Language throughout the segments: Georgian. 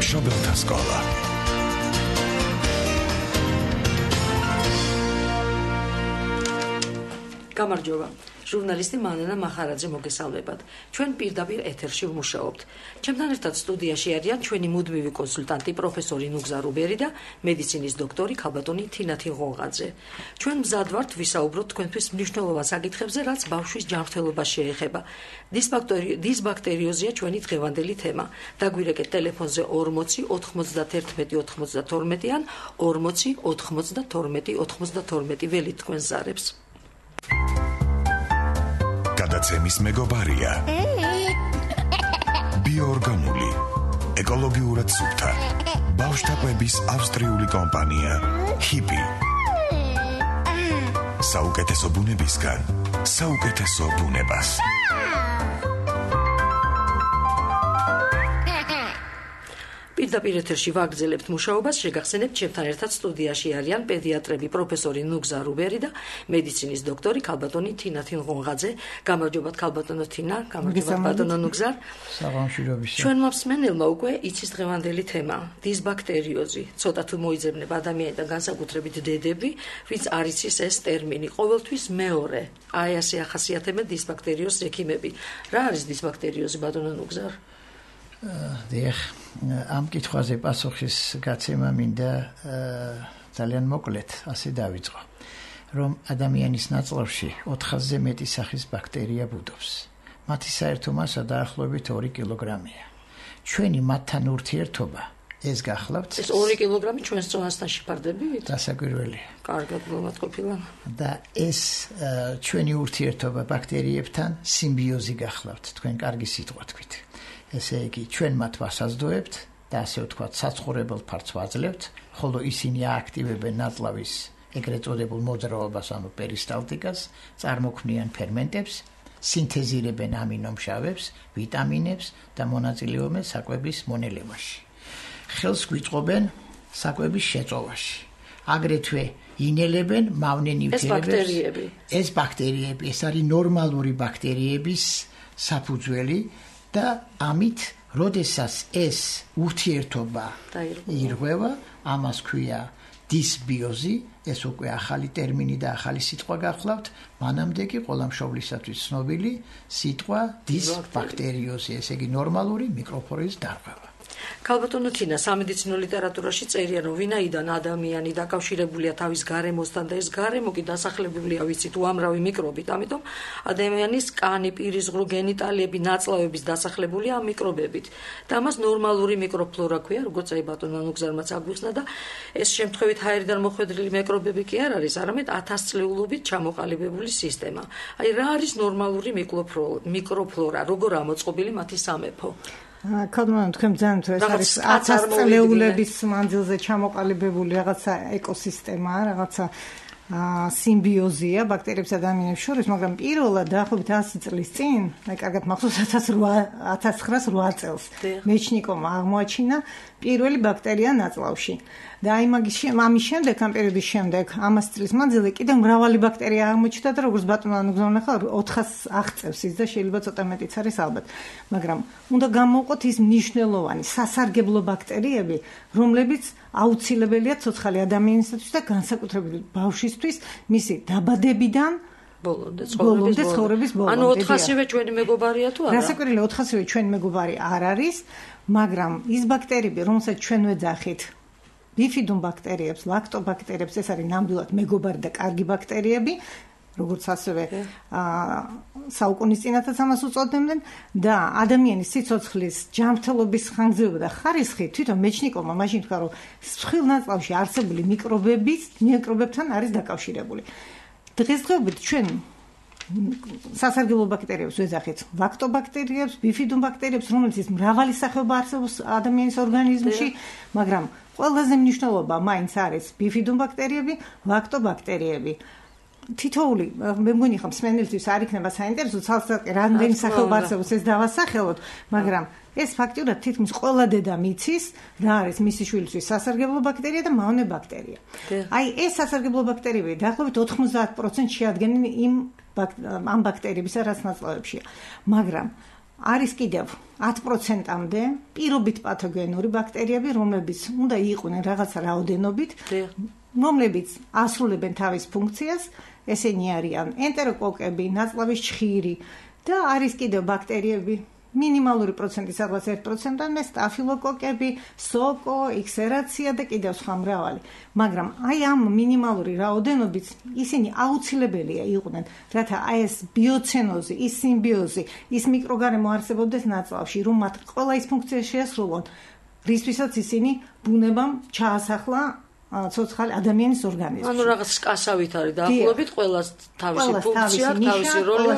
მშობელთა სკოლა. გამარჯობა. ჟურნალისტი მანანა მახარაძე მოგესალმებათ. ჩვენ პირდაპირ ეთერში ვმუშაობთ. ჩემთან ერთად სტუდიაში არიან ჩვენი მუდმივი კონსულტანტი პროფესორი ნუგზა რუბერი და მედიცინის დოქტორი ქალბატონი თინათინ ღონღაძე. ჩვენ მზად ვართ ვისაუბროთ თქვენთვის მნიშვნელოვან საკითხებზე, რაც ბავშვის ჯანმრთელობას შეეხება. დისბაქტერიოზია ჩვენი დღევანდელი თემა. დაგვირეკეთ ტელეფონზე 40 91 92 ან 40 92 92 ველით თქვენ ზარებს. გადაცემის მეგობარია ბიოორგანული, ეკოლოგიურად სუფთა, ბავშვთა კვების ავსტრიული კომპანია ჰიპი. საუკეთესო ბუნებისგან საუკეთესო ბუნებას. პირდაპირ ეთერში ვაგრძელებთ მუშაობას, შეგახსენებთ ჩემთან ერთად სტუდიაში არიან პედიატრები პროფესორი ნუგზა რუბერი და მედიცინის დოქტორი ქალბატონი თინათინ ღონღაძე. გამარჯობათ ქალბატონო თინა, გამარჯობათ ბატონო ნუგზა. საღამოშირობისა. ჩვენმა მსმენელმა უკვე იცის დღევანდელი თემა, დისბაქტერიოზი. ცოტა თუ მოიძებნება ადამიანიდან განსაკუთრებით დედები, ვინც არ იცის ეს ტერმინი. ყოველთვის მეორე. აი ასე ახასიათებენ დისბაქტერიოზს ექიმები. რა არის დისბაქტერიოზი ბატონო ნუგზა? დიახ, ამ კითხვაზე პასუხის გაცემა მინდა ძალიან მოკლედ ასე დავიწყო, რომ ადამიანის ნაწლავში 400-ზე მეტი სახის ბაქტერია ბუდობს. მათი საერთო მასა დაახლოებით 2 კილოგრამია. ჩვენი მათთან ურთიერთობა ეს გახლავთ. ეს 2 კილოგრამი ჩვენს წონასთან შეფარდებით? დასაკვირველია. კარგად მოვატყობილა. და ეს ჩვენი ურთიერთობა ბაქტერიებთან სიმბიოზი გახლავთ, თქვენ კარგი სიტყვა თქვით. ესე იგი, ჩვენ მათ ვასაზრდოებთ და ასე ვთქვათ, საცხოვრებელ ფართს ვაძლევთ, ხოლო ისინი ააქტივებენ ნაწლავის ეგრეთ წოდებულ მოძრაობას, ანუ პერისტალტიკას, წარმოქმნიან ფერმენტებს, სინთეზირებენ ამინომჟავებს, ვიტამინებს და მონაწილეობენ საკვების მონელევაში. ხელს გვიწყობენ საკვების შეწოვაში. აგრეთვე ინელებენ მავნე ნივთიერებებს. ეს ბაქტერიები, ეს არის ნორმალური ბაქტერიების საფუძველი. და ამით, როდესაც ეს ურთიერთობა ირღვევა, ამას ქვია დისბიოზი, ეს უკვე ახალი ტერმინი და ახალი სიტყვა გახლავთ, მანამდე კი ყველა მშობლისათვის ცნობილი სიტყვა დისბაქტერიოზი, ესე იგი ნორმალური მიკროფლორის დარღვევა. ქალბატონო თინა, სამედიცინო ლიტერატურაში წერია, რომ ვინაიდან ადამიანი დაკავშირებულია თავის გარემოსთან და ეს გარემო კი დასახლებულია, ვიცით, უამრავი მიკრობით, ამიტომ ადამიანის კანი, პირისღრუ, გენიტალიები, ნაწლავების დასახლებულია ამ მიკრობებით. და ამას ნორმალური მიკროფლორა ქვია, როგორც აი ბატონო ნუგზარმაც აგვიხსნა და ეს შემთხვევით ჰაერიდან მოხვედრილი მიკრობები კი არ არის, არამედ 1000 წლეულობით ჩამოყალიბებული სისტემა. აი რა არის ნორმალური მიკროფლორა, როგორ ამოწყობილი მათი სამეფო? ქალბატონო, თქვენ ძალიან თუ ეს არის 1000 წლეულების მანძილზე ჩამოყალიბებული რაღაცა ეკოსისტემა, რაღაცა სიმბიოზია ბაქტერიებსა და ადამიანებს შორის, მაგრამ პირველად დაახლოებით 100 წლის წინ, აი კარგად მახსოვს 1908 წელს მეჩნიკოვმა აღმოაჩინა პირველი ბაქტერია ნაწლავში. და აი ამის შემდეგ, ამ პერიოდის შემდეგ, 100 წლის მანძილზე კიდევ მრავალი ბაქტერია აღმოჩნდა და როგორც ბატონო ნუგზა ნახა 400 აღწევს ის და შეიძლება ცოტა მეტიც არის ალბათ. მაგრამ უნდა გამოვყოთ ის მნიშვნელოვანი სასარგებლო ბაქტერიები, რომლებიც აუცილებელია ცოცხალი ადამიანისათვის და განსაკუთრებით ბავშვისთვის მისი დაბადებიდან ბოლომდე ცხოვრების ბოლომდე. ანუ 400-ვე ჩვენი მეგობარია თუ არა? დასაკვირველია 400-ვე ჩვენი მეგობარი არ არის, მაგრამ ის ბაქტერიები, რომელსაც ჩვენ ვეძახით ბიფიდუმ ბაქტერიებს, ლაქტობაქტერიებს, ეს არის ნამდვილად მეგობარი და კარგი ბაქტერიები, როგორც ასევე საუკუნის წინათაც ამას უწოდებდნენ და ადამიანის სიცოცხლის ჯანმრთელობის ხანგრძლივობა და ხარისხი თვითონ მეჩნიკოვმა მაშინ თქვა, რომ მსხვილ ნაწლავში არსებული მიკრობებთან არის დაკავშირებული. დღესდღეობით ჩვენ სასარგებლო ბაქტერიებს ვეძახით, ლაქტობაქტერიებს, ბიფიდუმ ბაქტერიებს, რომელთაც მრავალი სახეობა არსებობს ადამიანის ორგანიზმში, მაგრამ ყველაზე მნიშვნელოვანი მაინც არის ბიფიდუმ ბაქტერიები, ლაქტობაქტერიები. თითოეული მე მგონი ხომ მსმენელთვის არ იქნება საინტერესო ცალსაკე რამდენი სახეობა არსებობს ეს დავასახელოთ, მაგრამ ეს ფაქტიურად თითქმის ყველა დედამ იცის რა არის მისი შვილისთვის სასარგებლო ბაქტერია და მავნე ბაქტერია. აი ეს სასარგებლო ბაქტერიები დაახლოებით 90% შეადგენენ ამ ბაქტერიებისა, რაც ნაწლავებშია. მაგრამ არის კიდევ 10%-მდე პირობით პათოგენური ბაქტერიები, რომლებიც უნდა იყვნენ რაღაცა რაოდენობით, რომლებიც ასრულებენ თავის ფუნქციას, ესენი არიან ენტეროკოკები, ნაწლავის ჩხირი და არის კიდევ ბაქტერიები მინიმალური პროცენტი, სადღაც 1%-დან სტაფილოკოკები, სოკო, ექსერაცია და კიდევ სხვა მრავალი. მაგრამ აი ამ მინიმალური რაოდენობით ისინი აუცილებელია იყვნენ, რათა აი ეს ბიოცენოზი, ის სიმბიოზი, ის მიკროგარემო არსებობდეს ნაწლავში, რომ მათ ყველა ის ფუნქცია შეასრულონ, რისთვისაც ისინი ბუნებამ ჩაასახლა ცოცხალი ადამიანის ორგანიზმში. ანუ რაღაც სკასავით არის დაახლოებით ყველას თავისი ფუნქცია, თავისი როლი,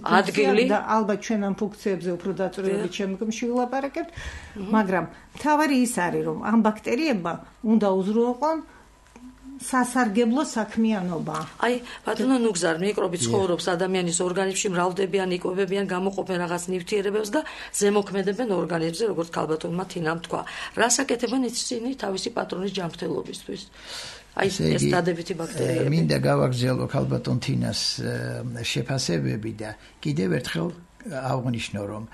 ადგილი და ალბათ ჩვენ ამ ფუნქციებზე უფრო დაწვრილებით შემდგომში ვილაპარაკებთ, მაგრამ თავარი ის არის, რომ ამ ბაქტერიებმა უნდა უზრუნველყონ სასარგებლო საქმიანობა. აი, ბატონო ნუგზარ, მიკრობი ცხოვრობს ადამიანის ორგანიზმში, მრავლდებიან, იკვებებიან, გამოყოფენ რაღაც ნივთიერებებს და ზემოქმედებენ ორგანიზმზე, როგორც ქალბატონმა თინამ თქვა. რას აკეთებენ ისინი თავისი პატრონის ჯანმრთელობისთვის? აი, ეს დადებითი ბაქტერიები. მინდა გავაგრძელო ქალბატონ თინას შეფასებები და კიდევ ერთხელ აღვნიშნო, რომ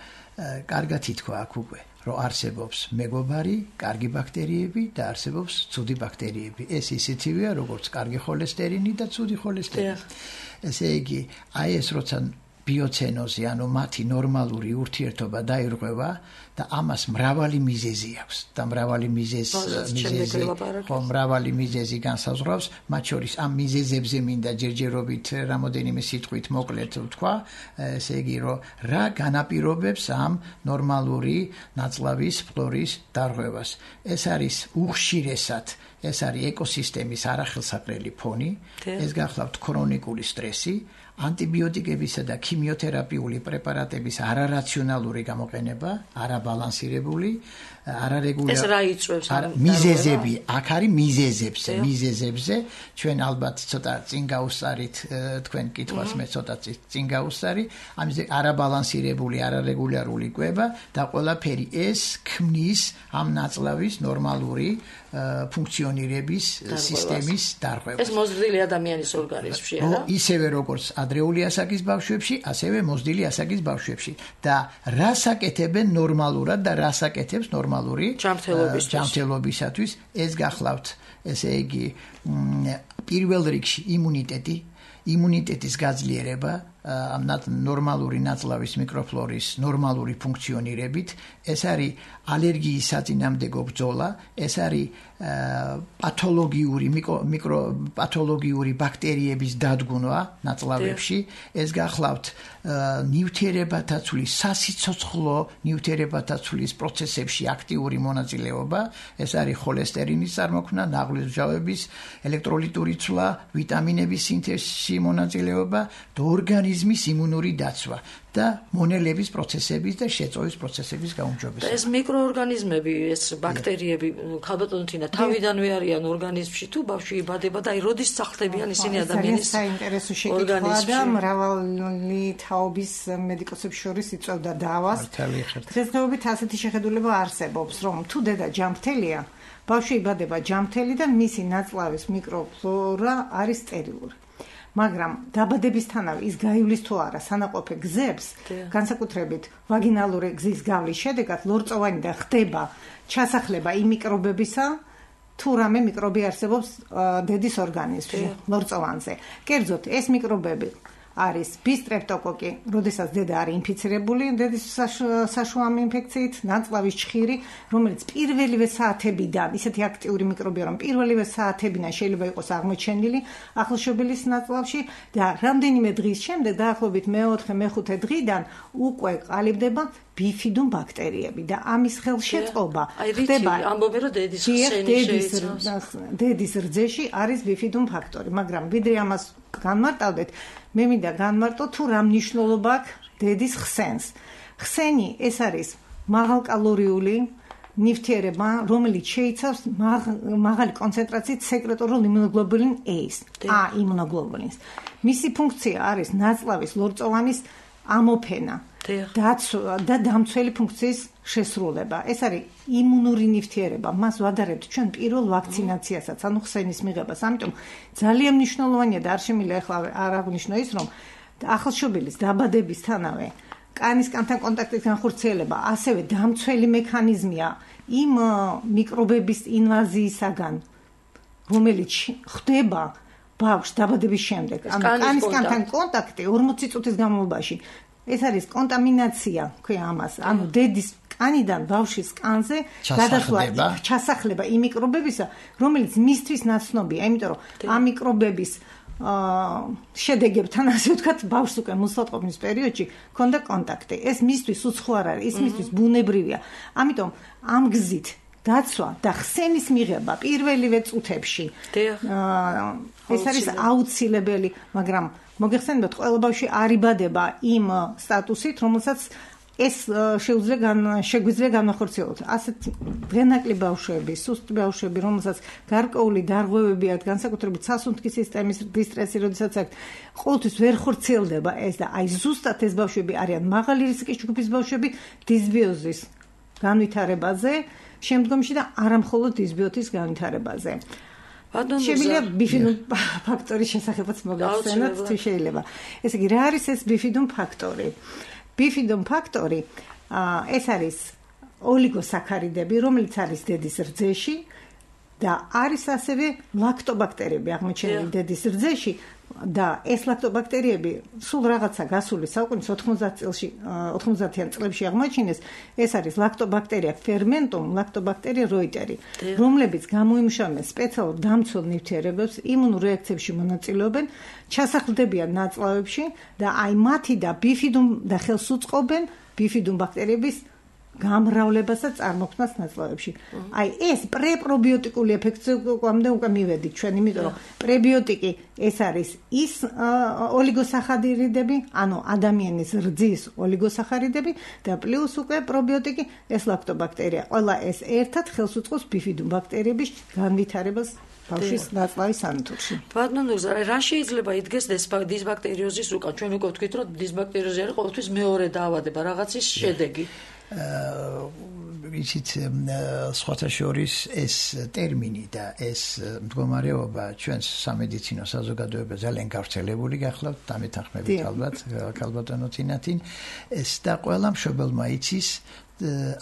კარგად ითქვა აქ უკვე, რომ არსებობს მეგობარი, კარგი ბაქტერიები და არსებობს ცუდი ბაქტერიები. ეს ისეთივეა, როგორც კარგი ხოლესტერინი და ცუდი ხოლესტერინი. ესე იგი, აი ეს როცა ბიოცენოზი, ანუ მათი ნორმალური ურთიერთობა დაირღვევა და ამას მრავალი მიზეზი აქვს და მრავალი მიზეზი განსაზღვრავს, მათ შორის ამ მიზეზებზე მინდა ჯერჯერობით რამოდენიმე სიტყვით მოკლედ ვთქვა, ესე იგი, რომ რა განაპირობებს ამ ნორმალური ნაწლავის ფლორის დარღვევას. ეს არის უხშირესად, ეს არის ეკოსისტემის არახელსაყრელი ფონი, ეს გახლავთ ქრონიკული სტრესი, ანტიბიოტიკებისა და ქიმიოთერაპიული პრეპარატების არარაციონალური გამოყენება, არაბალანსირებული, არარეგულარული. ეს რა იწვევს? მიზეზები, აქ არის მიზეზებზე, ჩვენ ალბათ ცოტა წინ გავუსწარით თქვენ კითხვას, მე ცოტა წინ გავუსწარი, ამაზე არაბალანსირებული, არარეგულარული კვება და ყველაფერი ეს ქმნის ამ ნაწლავის ნორმალური ფუნქციონირების სისტემის დარღვევას. ეს მოზრდილი ადამიანის ორგანიზმში არა? ისევე როგორც ადრეული ასაკის ბავშვებში, ასევე მოზრდილი ასაკის ბავშვებში. და რას აკეთებენ ნორმალურად და რას აკეთებს ნორმალური ჯანმრთელობისათვის, ეს გახლავთ, ესე იგი, პირველ რიგში იმუნიტეტის გაძლიერება, ამ ნორმალური ნაწლავის მიკროფლორის ნორმალური ფუნქციონირებით, ეს არის ალერგიის საწინააღმდეგო ბრძოლა, ეს არის პათოლოგიური ბაქტერიების დადგუნვა ნაწლავებში, ეს გახლავთ ნივთიერებათა ცვლის, სასიცოცხლო ნივთიერებათა ცვლის პროცესებში აქტიური მონაწილეობა, ეს არის ხოლესტერინის წარმოქმნა, ნაღლის მჟავების, ელექტროლიტური ცვლა, ვიტამინების სინთეზში მონაწილეობა და ორგანიზმის იმუნური დაცვა და მონელების პროცესების და შეწოვის პროცესების გაუმჯობესება. ეს მიკროორგანიზმები, ეს ბაქტერიები, ქალბატონო თინა, თავიდანვე არიან ორგანიზმში თუ ბავშვი იბადება და აი როდის სახლდებიან ისინი ადამიანის საინტერესო შეკითხვა და მრავალი თაობის მედიკოსებს შორის იწევდა დავას. დღესდღეობით ასეთი შეხედულება არსებობს, რომ თუ დედა ჯანმრთელია, ბავშვი იბადება ჯანმრთელი და მისი ნაწლავის მიკროფლორა არის სტერილური. მაგრამ დაბადებისთანავე ის გაივლის თუ არა სანაყოფე გზებს, განსაკუთრებით ვაგინალური გზის გავლის შედეგად ლორწოვანიდან ხდება ჩასახლება იმ მიკრობებისა, თუ რამე მიკრობი არსებობს დედის ორგანიზმში, ლორწოვანზე. კერძოდ, ეს მიკრობები არის ბისტრეპტოკოკი, როდესაც დედა არის ინფიცირებული დედის საშუალო ინფექციით, ნაწლავის ჩხირი, რომელიც პირველივე საათებიდან, ისეთი აქტიური მიკრობია, რომ პირველივე საათებიდან შეიძლება იყოს აღმოჩენილი ახლშობილის ნაწლავში და რამდენიმე დღის შემდეგ, დაახლოებით მე-4-მე-5 დღიდან უკვე ყალიბდება ბიფიდუმ ბაქტერიები და ამის ხელშეწყობა ხდება ამბობენ რომ დედის რძეში არის ბიფიდუმ ფაქტორი, მაგრამ ვიდრე ამას განმარტავდეთ, მე მინდა განმარტო თუ რა მნიშვნელობა აქვს დედის ხსენს. ხსენი ეს არის მაღალკალორიული ნივთიერება, რომელიც შეიცავს მაღალი კონცენტრაციით სეკრეტორულ იმუნოგლობულინ A-ს, იმუნოგლობულინს. მისი ფუნქცია არის ნაწლავის ლორწოვანის ამოფენა და დამცველი ფუნქციის შესრულება. ეს არის იმუნური ნივთიერება. მას ვადარებთ ჩვენ პირველ ვაქცინაციასაც, ანუ ხსენის მიღებას. ამიტომ ძალიან მნიშვნელოვანია და არ შემიძლია ახლა არ აღვნიშნო ის, რომ ახალშობილის დაბადებისთანავე კანისკანთან კონტაქტის განხორციელება ასევე დამცველი მექანიზმია იმ მიკრობების ინვაზიისაგან, რომელიც ხდება ბავშვს დაბადების შემდეგ. ანუ კანისკანთან კონტაქტი 40 წუთის განმავლობაში ეს არის კონტამინაცია, ქვია ამას. ანუ დედის კანიდან ბავშვის კანზე გადასვლა ჩასახლება იმ მიკრობებისა, რომელიც მისთვის ნაცნობია, იმიტომ რომ ამ მიკრობების შედეგებთან, ასე ვთქვათ, ბავშვს უკვე მოსატყობნის პერიოდში ქონდა კონტაქტი. ეს მისთვის უცხო არ არის, ის მისთვის ბუნებრივია. ამიტომ ამ გზით დაცვა და ხსენის მიღება პირველივე წუთებში ეს არის აუცილებელი, მაგრამ მოგეხსენებათ, ყველა ბავშვი არ იბადება იმ სტატუსით, რომელსაც ეს შეგვიძლია განახორციელოთ. ასეთ დღენაკლი ბავშვები, სუსტი ბავშვები, რომელსაც გარკვეული დარღვევები აქვს, განსაკუთრებით სასუნთქი სისტემის დისტრესი, როდესაც აქვს, ყოველთვის ვერ ხორციელდება ეს და აი ზუსტად ეს ბავშვები არიან მაღალი რისკის ჯგუფის ბავშვები დისბიოზის განვითარებაზე, შემდგომში და არა მხოლოდ დისბიოტის განვითარებაზე. Შემიძლია ბიფიდუმ ფაქტორის შესახებაც მოგახსენოთ, თუ შეიძლება. ესე იგი, რა არის ეს ბიფიდუმ ფაქტორი? ბიფიდუმ ფაქტორი ეს არის ოლიგოსაქარიდები, რომელიც არის დედის რძეში და არის ასევე ლაქტობაქტერიები აღმოჩენილი დედის რძეში და ეს ლაქტობაქტერიები სულ რაღაცა გასული საუკუნის 90-იან წლებში აღმოჩინეს. ეს არის ლაქტობაქტერია ფერმენტუმ, ლაქტობაქტერია როიტერი, რომლებიც გამოიმუშავებენ სპეციალურ დამცველ ნივთიერებებს, იმუნურ რეაქციებში მონაწილეობენ, ჩასახლდებიან ნაწლავებში და აი მათი და ბიფიდუმ და ხელს უწყობენ ბიფიდუმ ბაქტერიების გამრავლებას და წარმოქმნას ნაწლავებში. აი ეს პრეპრობიოტიკული ეფექტი უკვე მივედით ჩვენ, იმიტომ რომ პრებიოტიკი ეს არის ის ოლიგოსახარიდები, ანუ ადამიანის რძის ოლიგოსახარიდები და პლუს უკვე პრობიოტიკი ეს ლაქტობაქტერია. ყველა ეს ერთად ხელს უწყობს ბიფიდუმ ბაქტერიების განვითარებას ბავშვის ნაწლავის სანთურში. ბატონო, რა შეიძლება იდგეს დისბაქტერიოზის უკან? ჩვენ უკვე ვთქვით, რომ დისბაქტერიოზი არის ყოველთვის მეორე დაავადება, რაღაცის შედეგი. იცით, სხვათა შორის ეს ტერმინი და ეს მდგომარეობა ჩვენს სამედიცინო საზოგადოებაზე ძალიან გავრცელებული გახლავთ, დამეთანხმებით ალბათ, ქალბატონო წინათინ. ეს და ყველა მშობელმა იცის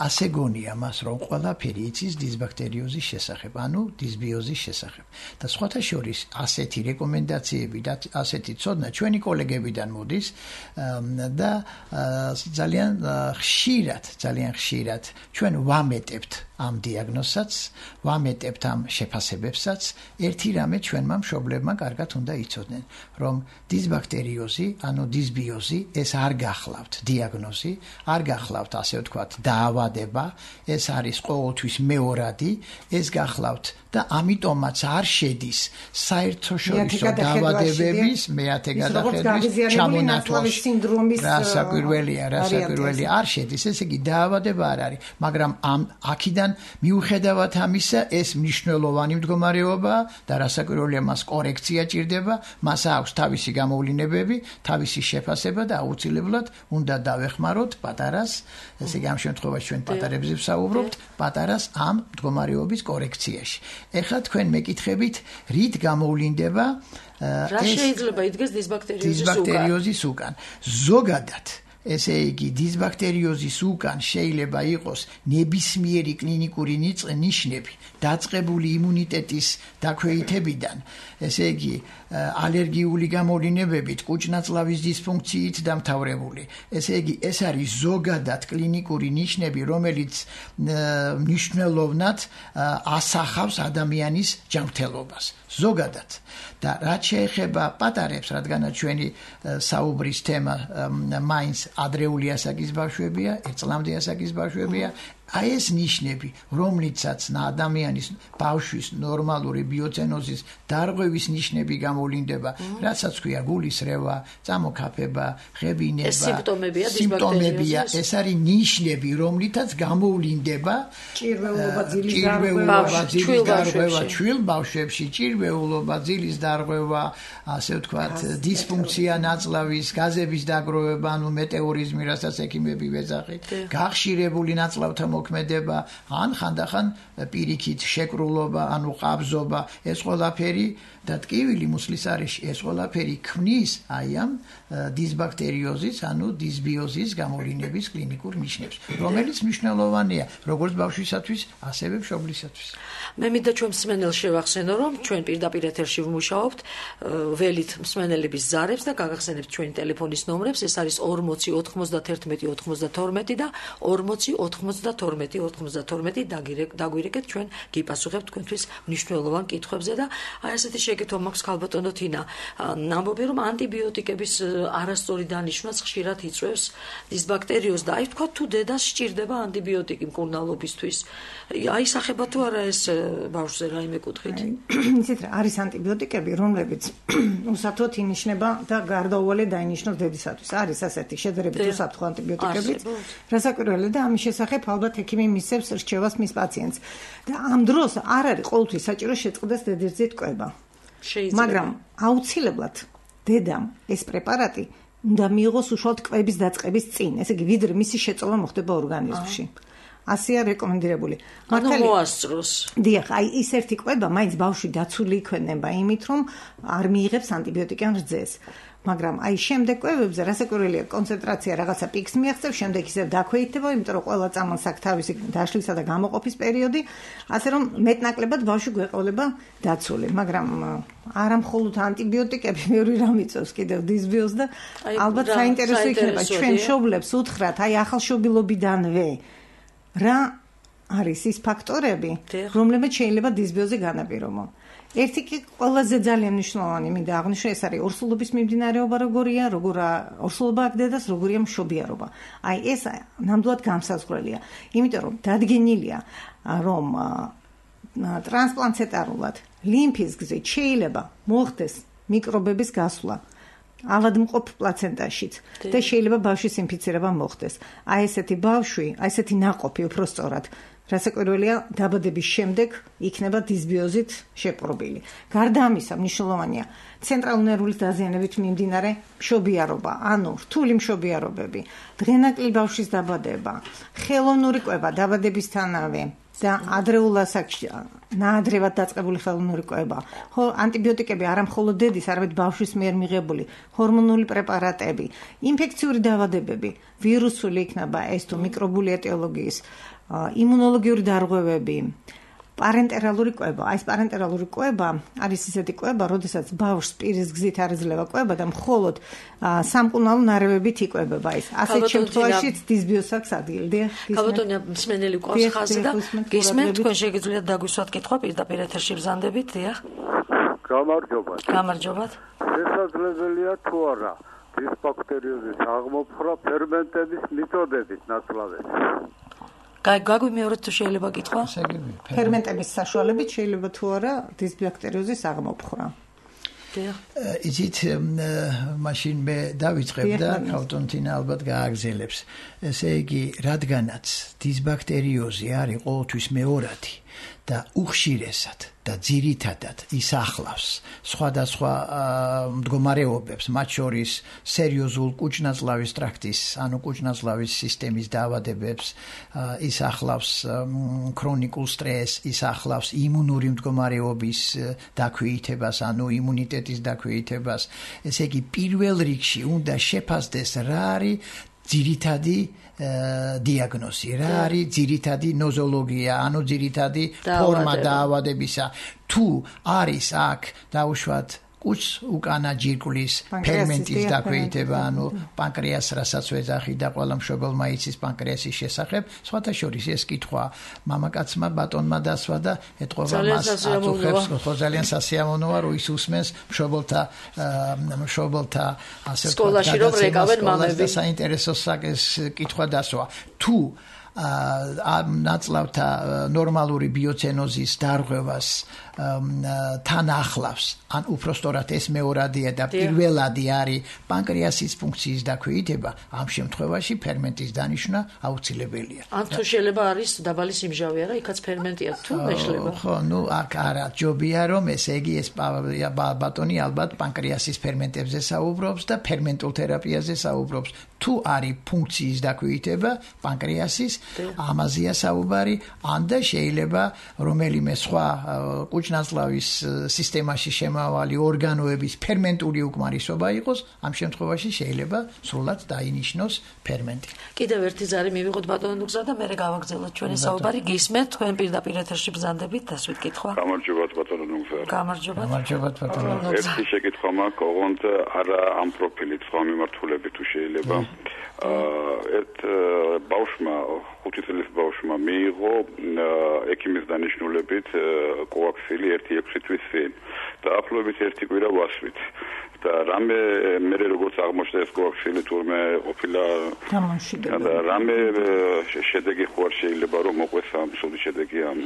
ასე გონია მას, რომ ყველაფერი იცის დისბაქტერიოზის შესახებ, ანუ დისბიოზის შესახებ. და სხვათა შორის ასეთი რეკომენდაციები და ასეთი ცოდნა ჩვენი კოლეგებიდან მოდის და ძალიან ხშირად ჩვენ ვამეტებთ ამ დიაგნოზსაც, ვამეტებთ ამ შეფასებებსაც. ერთი რამე ჩვენმა მშობლებმა კარგად უნდა იცოდნენ, რომ დისბაქტერიოზი, ანუ დისბიოზი, ეს არ გახლავთ დიაგნოზი, არ გახლავთ, ასე ვთქვათ, დაავადება, ეს არის ყოველთვის მეორადი, ეს გახლავთ და ამიტომაც არ შედის საერთაშორისო დაავადებების მეათე გადახედვის ჩამონათვალში. რასაკვირველია, არ შედის, ესე იგი დაავადება არ არის, მაგრამ აქედან მიუხედავად ამისა, ეს მნიშვნელოვანი მდგომარეობაა და რასაკვირველია, მას კორექცია ჭირდება, მას აქვს თავისი გამოვლინებები, თავისი შეფასება და აუცილებლად უნდა დავეხმაროთ პატარას, ესე იგი ამ შემთხვევაში ჩვენ პატარებზე ვსაუბრობთ, პატარას ამ მდგომარეობის კორექციაში. ეხლა თქვენ მეკითხებით, რით გამოვლინდება რა შეიძლება იდგეს დისბაქტერიოზის უკან? ზოგადად ესე იგი დისბაქტერიოზის უკან შეიძლება იყოს ნებისმიერი კლინიკური ნიშნები დაწყებული იმუნიტეტის დაქვეითებიდან, ესე იგი ალერგიული გამოვლინებებით, კუჭნაწლავის დისფუნქციით დამთავრებული. ესე იგი ეს არის ზოგადად კლინიკური ნიშნები, რომელიც მნიშვნელოვნად ასახავს ადამიანის ჯანმრთელობას. ზოგადად. და რაც შეეხება პატარებს, რადგანაც ჩვენი საუბრის თემა მაინც ადრეული ასაკის ბავშვებია, 1 წლამდე ასაკის ბავშვებია, აი ეს ნიშნები, რომლიცაც ადამიანის ბავშვის ნორმალური ბიოცენოზის დარღვევის ნიშნები გამოვლინდება, რასაც ქვია გულისრევა, წამოქაფება, ღებინება, სიმპტომებია, ეს არის ნიშნები, რომლითაც გამოვლინდება ჭირვეულობა, ძილის დარღვევა, ჩვილ ბავშვებში, ჭირვეულობა, ძილის დარღვევა, ასე ვთქვათ, დისფუნქცია ნაწლავის, გაზების დაგროვება, ანუ მეტეორიზმი, რასაც ექიმები ვეძახით, გახშირებული ნაწლავთა მოქმედება, ან ხანდახან პირიქით შეკრულობა, ანუ ყაბზობა, ეს ყველაფერი და ტკივილი მუცლის არეში ეს ყველაფერი ქმნის აი ამ დისბაქტერიოზის, ანუ დისბიოზის გამოვლინების კლინიკურ ნიშნებს, რომელიც მნიშვნელოვანია როგორც ბავშვისათვის, ასევე მშობლისათვის. მე მინდა ჩვენ მსმენელს შევახსენო, რომ ჩვენ პირდაპირ ეთერში ვმუშაობთ, ველით მსმენელების ზარებს და გაგახსენებთ ჩვენი ტელეფონის ნომრებს, ეს არის 40 91 92 და 40 92 92 დაგვირეკეთ, ჩვენ გიპასუხებთ თქვენთვის მნიშვნელოვან კითხვებზე და აი ასეთი შეკითხვა მაქვს ქალბატონო თინა. ნამბობი რომ ანტიბიოტიკების არასწორი დანიშვნაც ხშირად იწვევს დისბაქტერიოზს და აი თქვა თუ დედას სჭირდება ანტიბიოტიკი მკურნალობისთვის. აი სახება თუ არა ეს ბავშვზე რაიმე კუთხით? იცით რა, არის ანტიბიოტიკები, რომლებიც უსათოდ ინიშნება და გარდაუვალე დაინიშნოს დედისათვის. არის ასეთი შედარებით უსაფრთხო ანტიბიოტიკები, რასაკვირველია და ამის შესახებ ალბათ ექიმი მისცემს რჩევას მის პაციენტს. და ამ დროს არ არის ყოველთვის საჭირო შეწყდეს დედირძით ტყვება. მაგრამ აუცილებლად დედამ ეს პრეპარატი უნდა მიიღოს უშუალოდ ტყვების დაწყების წინ, ესე იგი ვიდრე მისი შეწოვა მოხდება ორგანიზმში. ასეა რეკომენდირებული. მართალია მოასწროს. დიახ, აი ის ერთი ტყვება მაინც ბავშვი დაცული იქნება იმით, რომ არ მიიღებს ანტიბიოტიკიან რძეს. მაგრამ აი შემდეგ კვებებზე რასაკვირველია კონცენტრაცია რაღაცა პიკს მიაღწევს, შემდეგ ისევ დაქვეითდება, იმიტომ რომ ყველა წამალს აქვს თავისი დაშლისა და გამოყოფის პერიოდი, ასე რომ მეტნაკლებად ბავშვი გვეყოლება დაცული, მაგრამ არა მხოლოდ ანტიბიოტიკები, მეორე რამ იწევს კიდევ დისბიოზს და ალბათ საინტერესო იქნება ჩვენ მშობლებს უთხრათ, აი ახალშობილობიდანვე რა არის ის ფაქტორები, რომლებიც შეიძლება დისბიოზი განაპირობონ. ერთი კი ყველაზე ძალიან მნიშვნელოვანი მინდა აღნიშნო, ეს არის ორსულობის მიმდინარეობა როგორია, ორსულობა აქ დედას როგორია მშობიარობა. აი ეს ნამდვილად განსაზღვრელია, იმიტომ რომ დადგენილია რომ ტრანსპლანტეტარულად ლიმფის გზით შეიძლება მოხდეს მიკრობების გასვლა ავადმყოფ პლაცენტაშიც და შეიძლება ბავშვის ინფიცირება მოხდეს. აი ესეთი ბავშვი, აი ესეთი ნაყოფი უფრო სწორად რასაკვირველია დაბადების შემდეგ იქნება დისბიოზით შეპყრობილი. გარდა ამისა მნიშვნელოვანია ცენტრალური ნერვული დაზიანებით მიმდინარე მშობიარობა, ანუ რთული მშობიარობები, დღენაკლი ბავშვის დაბადება, ხელოვნური კვება დაბადებისთანავე და ადრეულ ასაკში ნაადრევად დაწყებული ხელოვნური კვება. ხო, ანტიბიოტიკები არა მხოლოდ დედის, არამედ ბავშვის მიერ მიღებული ჰორმონული პრეპარატები, ინფექციური დაავადებები, ვირუსული იქნება ეს თუ მიკრობული ეტიოლოგიის, იმუნოლოგიური დარღვევები, პარენტერალური კვება. აი ეს პარენტერალური კვება არის ისეთი კვება, როდესაც ბავშვს პირის გზით არ ეძლევა კვება და მხოლოდ სამკურნალო ნარევებით იკვებება ის. ასეთ შემთხვევაშიც დისბიოზს აქვს ადგილი. ქალბატონია მსმენელი ყავს ხაზი და გისმენთ, თქვენ შეგიძლიათ დაგვისვათ კითხვა პირდაპირ ეთერში ბრძანდებით, დიახ. გამარჯობათ. გამარჯობათ. შესაძლებელია თუ არა დისბაქტერიოზის აღმოფხვრა ფერმენტების მეთოდებით ნაცვლად? გაგვიმეორეთ თუ შეიძლება კითხვა? ფერმენტების საშუალებით შეიძლება თუ არა დისბაქტერიოზის აღმოფხვრა. იცით, მაშინ მე დავიწყებ და ქალბატონთინა ალბათ გააგზელებს. ესე იგი, რადგანაც დისბაქტერიოზი არის ყოველთვის მეორადი და უხშირესად და ძირითადად ისახლავს სხვადასხვა მდგომარეობებს, მათ შორის სერიოზულ კუჭ-ნაწლავის ტრაქტის, ანუ კუჭ-ნაწლავის სისტემის დაავადებებს, ისახლავს ქრონიკულ სტრესს, ისახლავს იმუნური მდგომარეობის დაქვეითებას, ანუ იმუნიტეტის დაქვეითებას. ესე იგი, პირველ რიგში უნდა შეფასდეს რა არის ძირითადი დიაგნოზი, რა არის ძირითადი ნოზოლოგია, ანუ ძირითადი ფორმა დაავადებისა. თუ არის აქ დაუშვათ კუჭს უკანა ჯირკვლის ფერმენტის დაქვეითება, ანუ პანკრეას, რასაც ვეძახი და ყველა მშობელმა იცის პანკრეასის შესახებ, სხვათა შორის ეს კითხვა მამაკაცმა ბატონმა დასვა და ეთყობა მას აწუხებს, ხო ძალიან სასიამოვნოა, რომ ის უსმენს მშობელთა ასე სკოლაში რომ რეკავენ მამები. საინტერესო კითხვა დასვა. თუ ნაწლავთა ნორმალური ბიოცენოზის დარღვევას თან ახლავს, ან უფრო სწორად ეს მეორადია და პირველადი არის პანკრეასის ფუნქციის დაქვეითება, ამ შემთხვევაში ფერმენტის დანიშვნა აუცილებელია. ან თუ შეიძლება არის დაბალი სიმჟავე, არა, იქაც ფერმენტია თუ მეშლება. ხო, აქ არა ჯობია რომ ესე იგი ეს ბატონი ალბათ პანკრეასის ფერმენტებზე საუბრობს და ფერმენტულ თერაპიაზე საუბრობს. თუ არის ფუნქციის დაქვეითება პანკრეასის, ამაზეა საუბარი, ან და შეიძლება რომელიმე სხვა კუჭნაწლავის სისტემაში შემავალი ორგანოების ფერმენტული უკმარისობა იყოს, ამ შემთხვევაში შეიძლება სრულად დაინიშნოს ფერმენტი. კიდევ ერთი ზარი მივიღოთ ბატონო ნუგზა და მე გავაგრძელოთ ჩვენი საუბარი. გისმენთ თქვენ პირდაპირ ეთერში ბრძანდებით დასვით კითხვა. გამარჯობათ ბატონო ნუგზა. გამარჯობათ ბატონო ნუგზა. ერთი შეკითხვა მაქვს, ოღონდ არა ამ პროფილით, სხვა მიმართულებით თუ შეიძლება. ერთ ბავშვმა 5 წლის ბავშვმა მიიღო ექიმის დანიშნულებით კოაქსილი 1-6 თვის წინ და ახლობით 1 კვირა ვასვით და რამე მე როგორც აღმოჩნდა ეს კოაქსილი თურმე ყოფილა გამომშვიდებელი და რამე შედეგი ხო არ შეიძლება რომ მოყვეს ამ სული შედეგი ამ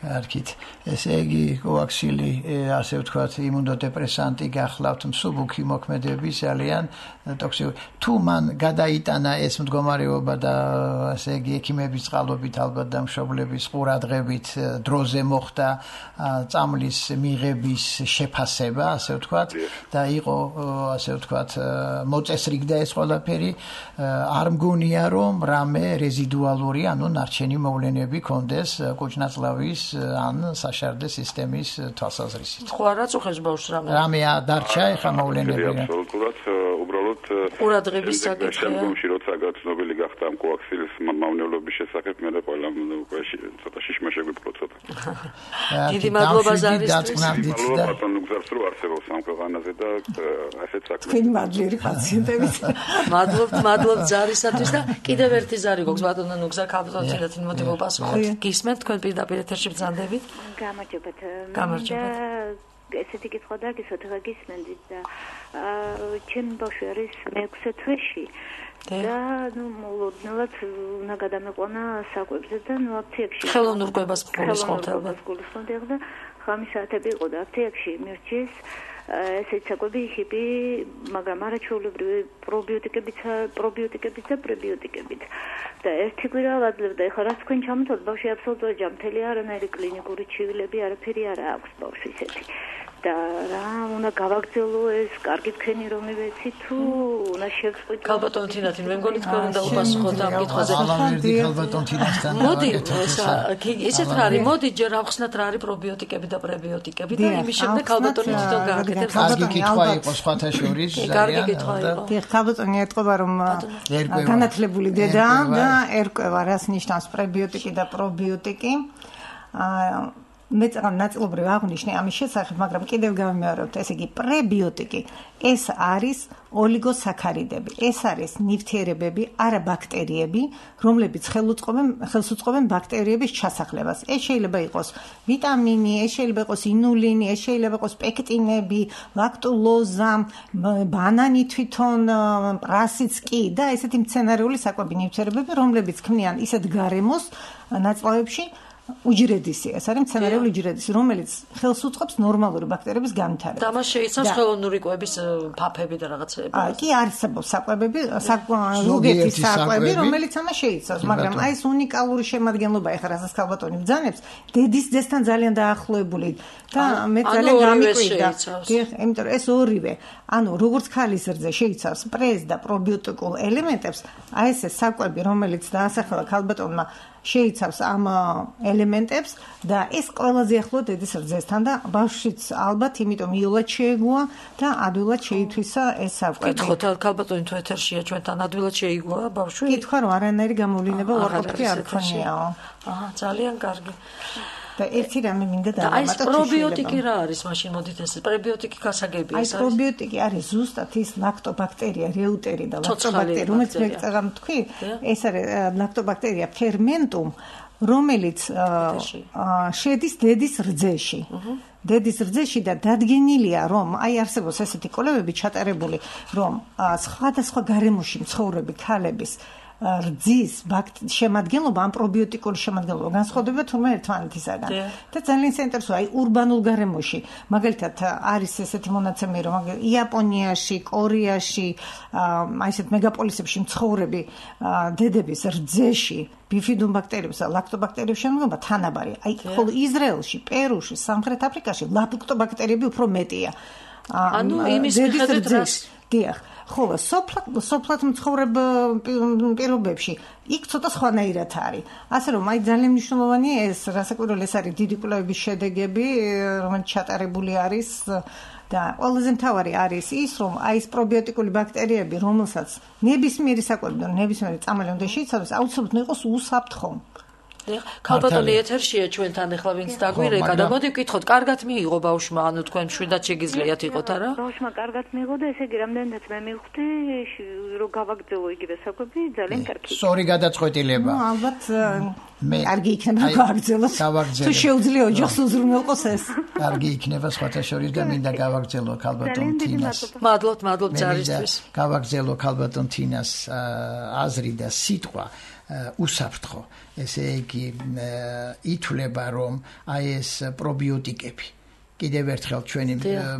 არქით ესე იგი კოაქსილი ასე ვთქვათ იმუნოდეპრესანტი გახლავთ მსუბუქი მოქმედები ძალიან ტოქსიკური თუ მან გადაიტანა ეს მდგომარეობა და ასე იგი ექიმების წყალობით ალბათ და მშობლების ყურადღებით დროზე მოხდა წამლის მიღების შეფასება ასე ვთქვათ და იყო ასე ვთქვათ მოწესრიგდა ეს ყველაფერი არ მგონია რომ რამე რეზიდუალური ანუ ნარჩენი მოვლენები კონდეს კუჭნაწლავის ან საშარდე სისტემის თვალსაზრისით. ხო არა წუხებს ბავშვს რამე. რამე დარჩა ეხა მოვლენები. აბსოლუტურად უბრალოდ ყურადღების საკითხია. შემდგომში როცა გაცნობილი გახდა ამ კოაქსილის მავნებლობის შესახებ მე ყველა უკვე ცოტა შიშმა შეგვიფრთხო ცოტა. დიდი მადლობა ზარისთვის. მადლობა ბატონო გზარს რო არსებობს ამ ქვეყანაზე და ასეთ საქმეს. თქვენი მადლიერი პაციენტებით. მადლობთ ზარისათვის და კიდევ ერთი ზარი გქონს ბატონო ნუგზა კაპიტონით მოდი მოპასუხოთ. გისმენთ თქვენ პირდაპირ ეთერში ბრძანდებით. გამარჯობათ. ესეთი კითხვა დაგისვათ რა გისმენდით და ჩემი ბავშვი არის მე-6 თვეში და მოლოდნელად უნდა გადამეყვანა საკვებზე და აფთიაქში ხელოვნურ კვებას გულისხმობთ ალბათ და ხამის საათები იყო და აფთიაქში მირჩეს ესეთი საკვები ჰიპი მაგრამ არაჩვეულებრივი პრობიოტიკებით და პრებიოტიკებით და ერთი კვირა ვაძლევდა ეხლა რაც თქვენ ჩამოთვალთ ბავშვი აბსოლუტურად ჯანმრთელი არანაირი კლინიკური ჩივილები არაფერი არ აქვს ბავშვს ისეთი და რა უნდა გავაგრძელო ეს კარგი თქვენი რომ მივეცი თუ უნდა შევწყვიტო ქალბატონ თინათი მე მგონი თქვენ უნდა უპასუხოთ ამ კითხვაზე ქალბატონ თინათთან მოდი ესეთ რა არის მოდი ჯერ ავხსნათ რა არის პრობიოტიკები და პრებიოტიკები და იმის შემდეგ ქალბატონი თვითონ გააკეთებს კარგი კითხვა იყო სხვათა შორის კარგი კითხვა იყო დიახ ქალბატონი ეტყობა რომ განათლებული დედა და ერკვევა რას ნიშნავს პრებიოტიკი და პრობიოტიკი მე ნაწილობრივ აღნიშნე ამის შესახებ, მაგრამ კიდევ გავიმეორებთ, ესე იგი პრებიოტიკი ეს არის ოლიგოსაქარიდები, ეს არის ნივთიერებები, არა ბაქტერიები, რომლებიც ხელს უწყობენ ბაქტერიების ჩასახლებას. ეს შეიძლება იყოს ვიტამინი, ეს შეიძლება იყოს ინულინი, ეს შეიძლება იყოს პექტინები, ლაქტულოზა, ბანანი თვითონ, პრასიც კი და ესეთი მცენარეული საკვები ნივთიერებები, რომლებიც ქმნიან ისეთ გარემოს ნაწლავებში უჯრედისი, ეს არის მცენარეული უჯრედისი, რომელიც ხელს უწყობს ნორმალური ბაქტერიების განვითარებას. და მას შეიცავს ხელოვნური კვების ფაფები და რაღაცები. კი არსებობს საკვებები, ზოგიერთი საკვები, რომელიც ამას შეიცავს, მაგრამ აი ეს უნიკალური შემადგენლობა ეხლა რასაც ქალბატონი ბრძანებს, დედის ძესთან ძალიან დაახლოებული და მე ძალიან გამიკვირდა. იმიტომ რომ ეს ორივე, ანუ როგორც ქალის რძე შეიცავს პრეს და პრობიოტიკულ ელემენტებს, აი ეს საკვები, რომელიც დაასახელა ქალბატონმა შეიცავს ამ ელემენტებს და ეს ყველაზე ახლო დედის რძესთან და ბავშვიც ალბათ იმიტომ იოლად შეეგუა და ადვილად შეითვისა ეს საკვები. კითხოთ ქალბატონი თუ ეთერშია ჩვენთან ადვილად შეიგუა ბავშვი? კითხვა რომ არანაირი გამოვლინება უარყოფითი არ ქონიაო. ძალიან კარგი. და ერთი რამე მინდა დავამატოთ. აი ეს პრობიოტიკი რა არის მაშინ მოდით ეს პრებიოტიკი გასაგებია ეს არის. აი პრობიოტიკი არის ზუსტად ის ლაქტობაქტერია, რეუტერი და ლაქტობაქტერია, რომელიც მე წეგამ თქვი, ეს არის ლაქტობაქტერია ფერმენტუმ, რომელიც შედის დედის რძეში. დედის რძეში და დადგენილია რომ აი არსებობს ესეთი კვლევები ჩატარებული რომ სხვადასხვა გარემოში მცხოვრები ქალების რძის შემადგენლობა ამ პრობიოტიკული შემადგენლობა განსხვავდება თურმე ერთმანეთისაგან და ძალიან საინტერესოა აი ურბანულ გარემოში მაგალითად არის ესეთი მონაცემი რომ იაპონიაში, კორეაში აი ესეთ მეგაპოლისებში მცხოვრები დედების რძეში ბიფიდუმ ბაქტერიებს და ლაქტობაქტერიების შემადგენლობა თანაბარია. აი ხოლო ისრაელში, პერუში, სამხრეთ აფრიკაში ლაქტობაქტერიები უფრო მეტია. ანუ იმის მიხედვით რას დიახ, ხოლო სოფლად მცხოვრებ პირობებში იქ ცოტა სხვანაირად არის. ასე რომ აი ძალიან მნიშვნელოვანია ეს, რასაკვირველი ეს არის დიდი კვლევების შედეგები, რომელიც ჩატარებული არის და ყველაზე მთავარი არის ის, რომ აი ეს პრობიოტიკული ბაქტერიები, რომელსაც ნებისმიერი საკვები და ნებისმიერი წამალი უნდა შეიცავდეს, აუცილებლად უნდა იყოს უსაფრთხო. ქალბატონი ეთერშია ჩვენთან ახლა ვინც დაგვირეკა და მოდი ვკითხოთ, კარგად მიიღო ბავშვმა, ანუ თქვენ მშვიდად შეგიძლიათ იყოთ არა? ბავშვმა კარგად მიიღო და ესე იგი რამდენადაც მე მივხვდი, რომ გავაგრძელო იგივე საკვები, ძალიან კარგი. სწორი გადაწყვეტილება. ალბათ კარგი იქნება გავაგრძელოს. თუ შეუძლია ოჯახს უზრუნველყოს ეს. კარგი იქნება სხვათა შორის და მინდა გავაგრძელო ქალბატონ თინას. მადლობთ ჯარისთვის. გავაგრძელო ქალბატონ თინას აზრი და სიტყვა. უსაფრთხო, ესე იგი ითვლება, რომ აი ეს პრობიოტიკები კიდევ ერთხელ ჩვენი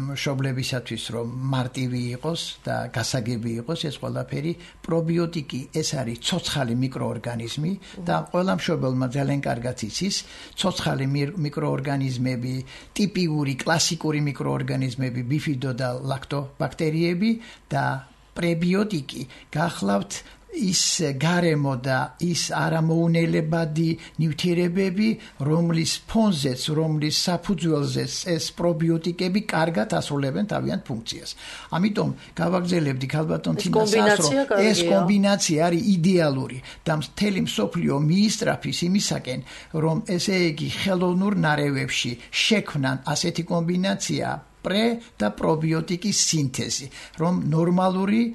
მშობლებისათვის რომ მარტივი იყოს და გასაგები იყოს ეს ყველაფერი პრობიოტიკი ეს არის ცოცხალი მიკროორგანიზმი და ყველა მშობელმა ძალიან კარგად იცის ცოცხალი მიკროორგანიზმები ტიპიური კლასიკური მიკროორგანიზმები ბიფიდო და ლაქტობაქტერიები და პრებიოტიკი გახლავთ ის გარემო და ის არამოუნელებადი ნივთიერებები, რომლის ფონზეც, რომლის საფუძველზეც ეს პრობიოტიკები კარგად ასრულებენ თავიანთ ფუნქციას. ამიტომ გავაგრძელებდი ქალბატონ თინას ასრო, ეს კომბინაცია არის იდეალური და მთელი მსოფლიო მიისწრაფის იმისაკენ, რომ ესე იგი ხელოვნურ ნარევებში შექმნან ასეთი კომბინაცია პრე და პრობიოტიკის სინთეზი, რომ ნორმალური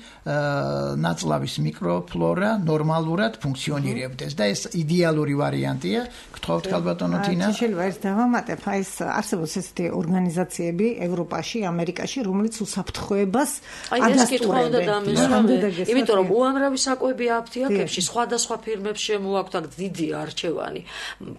ნაწლავის მიკროფლორა ნორმალურად ფუნქციონირებდეს და ეს იდეალური ვარიანტია. გთხოვთ ქალბატონო თინა. შეიძლება ეს დავამატებ, აი ეს არსებობს ესეთი ორგანიზაციები ევროპაში, ამერიკაში, რომელიც უსაფრთხოებას ადასტურებენ. იმიტომ რომ უამრავი საკვები აფთიაქებში სხვადასხვა ფირმებს შემოაქვთ აქ დიდი არჩევანი.